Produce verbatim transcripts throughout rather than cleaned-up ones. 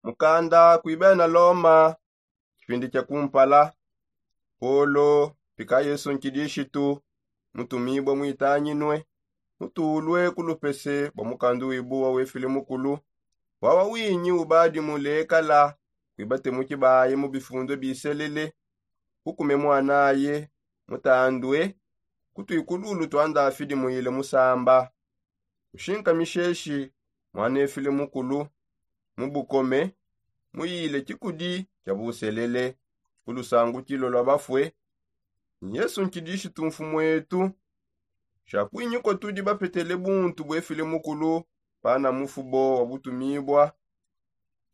Mukanda kuibena loma. Kipindi kia kumpala. Polo pika yesu nkidishitu mutumibua muitanyinue mutulue ku lupese bua mukandu wibuwa wefile mukulu. Wawa winyi ubadi mulekala kuibatemuki baye mu bifundue biselele. Kukume muanaye mutandue kutuikululu tua ndafidi muile musamba. Nshinka misheshi muanefile mukulu mu bukome muyile kikudi kia buselele ku lusangukilo lua bafue. Ni yesu nkidishitu mfumuetu. Sha kuinyi kua tudi bapetele buntu buefile mukulu pana mufubo wa butumibua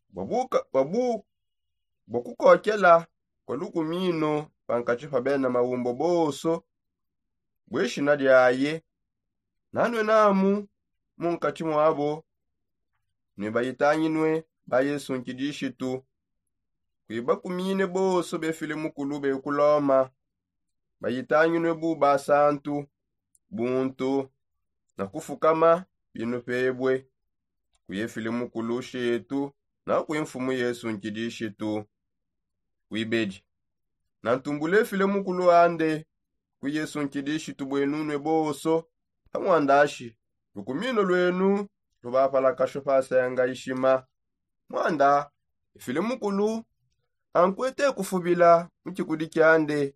bua kukokela kua lukumino pankatshi pa bena maumbo bonso. Bueshina diaye nanue namu munkatshi muabo. Nue bayitanginue ba yesu nkidishitu kuibakumine bonso befile mukulu be ku loma. Bayitanginue bu basantu buntu na kufukama binu pebue. Kuyefile mukulu shetu na kuimfumu yesu nkidishitu. Wibedi nantumbule file mukulu ande ku yesu nkidishitu buenunue bonso. Amuandashi lukumino luenu lubapalakasho pasenga ishima. Muanda efile mukulu ankuete kufubila mu kikudi kiande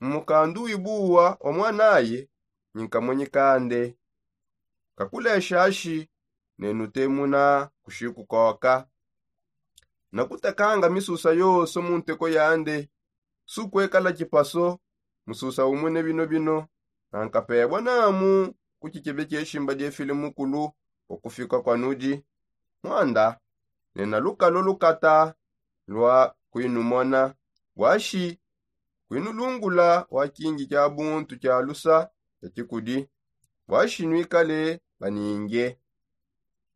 mu mukandu wibuwa wa muanaye. Nyinkamonyi kande kakuleshashi ne nutemuna kushikukoka. Nakutakanga misusa yonso mu nteko yande sukuekala kipaso. Mususa umune bino bino nankapebua namu ku kikebe kieshimba diefile mukulu bua kufika kua nudi. Muanda nena lukalo lukata lua kuinumona buashi kuinulungula wa kingi kia buntu kia lusa kia kikudi. Buashi nuikale baninge.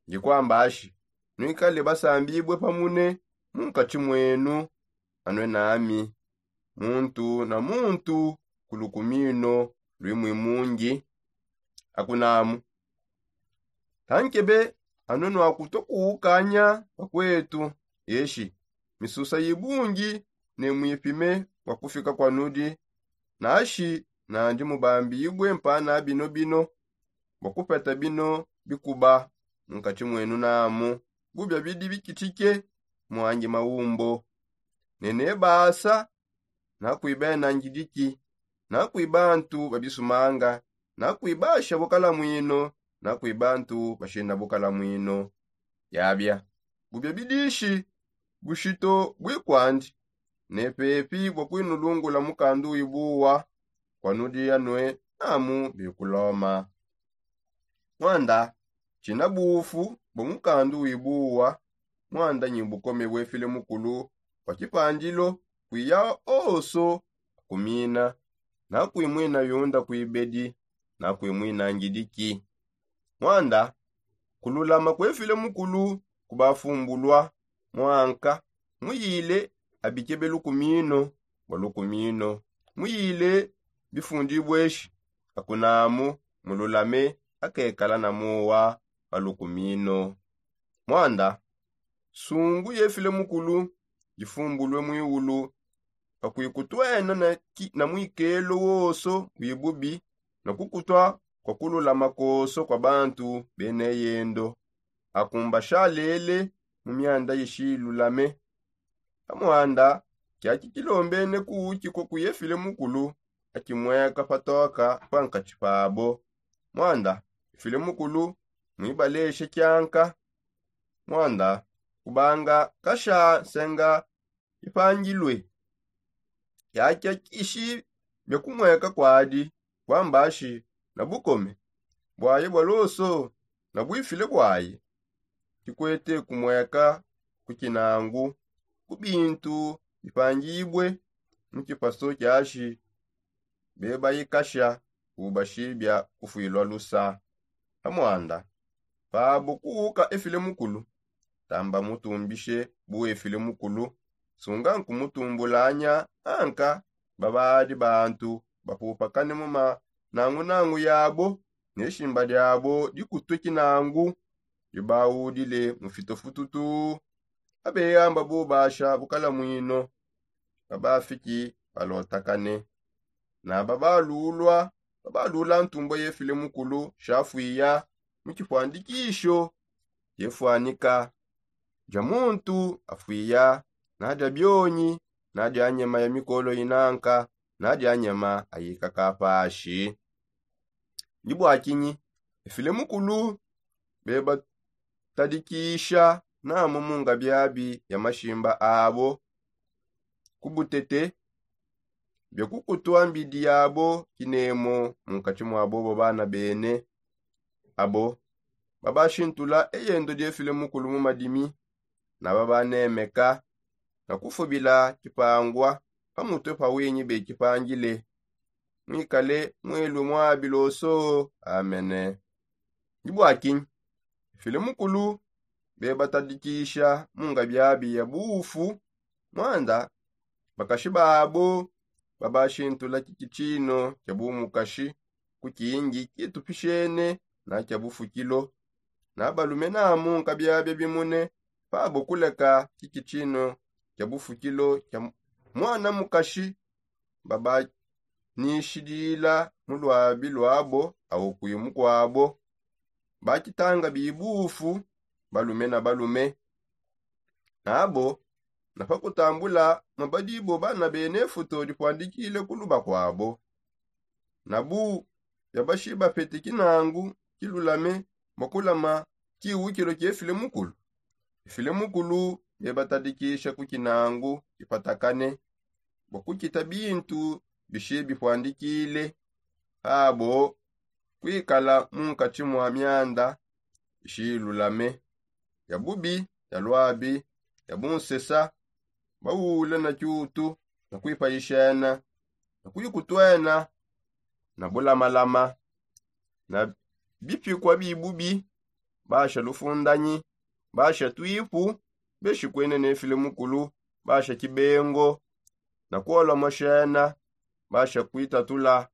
Ndi kuambashi nuikale basambibue pamune munkatshi muenu. Anue nami muntu na muntu ku lukumino luimui mungi. Akunamu tankebe anue nuakutua kuukanya bakuetu. Eshi misusa ibungi ne muipime bua kufika kua nudi. Nashi nandi mubambibue mpana bino bino bua kupeta bino bikuba munkatshi muenu namu bubia bidi bikitshike muangi maumbo. Ne nebasa nakuiba ena ngidiki nakuiba bantu ba bisumanga nakuiba basha bukalamuino nakuiba bantu bashina bukalamuino. Yabia bubia bidishi bushito buikuandi ne pepi bua kuinulungula mukandu wibuwa kua nudi anue namu bikuloma. Muanda tshina bufu bua mukandu wibuwa. Muanda nyi bukome buefile mukulu bua kipandilo kuiya onso kumina nakuimuina yunda kuibedi nakuimuina ngidiki. Muanda kululama kuefile mukulu kubafumbulua. Muanka muyile abikebe lukumino bua lukumino muyile bifundibueshi. Akunamu mululame akekala na muwa pa lukumino. Muanda nsungu yefile mukulu difumbulue muiulu pakuikutuena na muikelo wonso wibubi na kukutua kua kululama konso kua bantu beneyendo. Akumbasha lele mu mianda ishilulame. Pamuanda kiaki kilombene kuukikua kuyefile mukulu akimueka patoka pankatshi pabo. Muanda efile mukulu muibaleshe kianka. Muanda kubanga kasha nsenga ipangilue. Kiakia kishi bia kumueka kuadi kuambashi na bukome buaye bua loso na buifile buaye. Kikuete kumueka ku kinangu ku bintu bipangibue mu kipaso kiashi. Bebaikasha ubashibia kufuilua lusa. Pamuanda pabo kuuka efile mukulu tamba mutumbishe bu efile mukulu. Sunga nkumutumbulanya anka babadi bantu bapupakane mu manangunangu yabo ne shimba diabo dikutue kinangu. Dibaudile mu fitofututu abeyamba bubasha bukala mwino. Babafiki balotakane na babalulwa babalula ntumbwa yefile mukulu shafwiya mu kifwandikisho. Yefwanika ja muntu afwiya na ja byonyi na ja nyama ya mikolo inanka na ja nyama ayika kapashi. Ndi bwakinyi efile mukulu bebatadikisha namo munga byabi ya mashimba abo ku butete bya kukutwa mbidi yabo kinemo mu nkati mwa bobo bana bene. Abo babashintula eyendo lyefile mukulu mu madimi na babanemeka na kufubila kipangwa pamutwe pa winyi bekipangile. Mwikale mwelwe mwabiloso. Amene. Ndi bwakinyi file mukulu bebatadikisha munga byabi ya bufu mwanda bakashi babo babashintula kikitshino kya bumukashi ku kingi kitupishene na kya bufukilo. Na balume namu nkabyabya bimune pabo kuleka kikitshino kya bufukilo kya mwana mukashi babanishidila mu lwabi lwabo awo kwimu kwabo. Bakitanga bibufu balume na balume nabo na pakutambula mabadibo bana bene futo dipwandikile kuluba kwabo. Na bu byabashiba pete kinangu kilulame mwakulama kiwukilo kyefile mukulu. Ifile mukulu byebatadikisha ku kinangu kipatakane bwakukita bintu bishi bipwandikile pabo kwikala mu nkati mwa myanda ishilulame ya bubi ya lwabi ya bunsesa bawula na kyutu na kwipayishena na kwikutwena na bulamalama na bipikwa bibubi basha lufundanyi basha twipu beshikwene nefile mukulu basha kibengo na kuolwa moshena basha kwitatula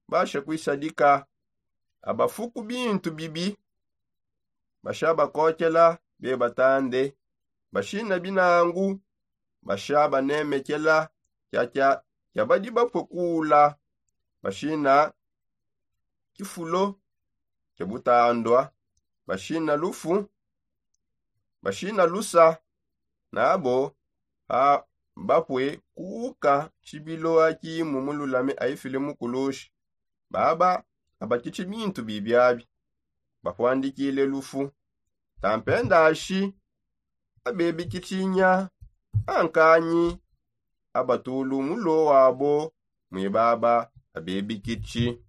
basha kwisadika abafuku bintu bibi basha bakokela bebatande bashina binangu basha banemekela kyakya kyabadi bapwe kula bashina kifulo kya butandwa bashina lufu bashina lusa nabo ha bapwe kuuka tshibilo akimu mululame aifile mukulushi. Baba abakitshi bintu bibyabi bapwandikile lufu tampendashi abebikitshinya ankanyi abatulu mulo wabo mwe baba abebikitshi.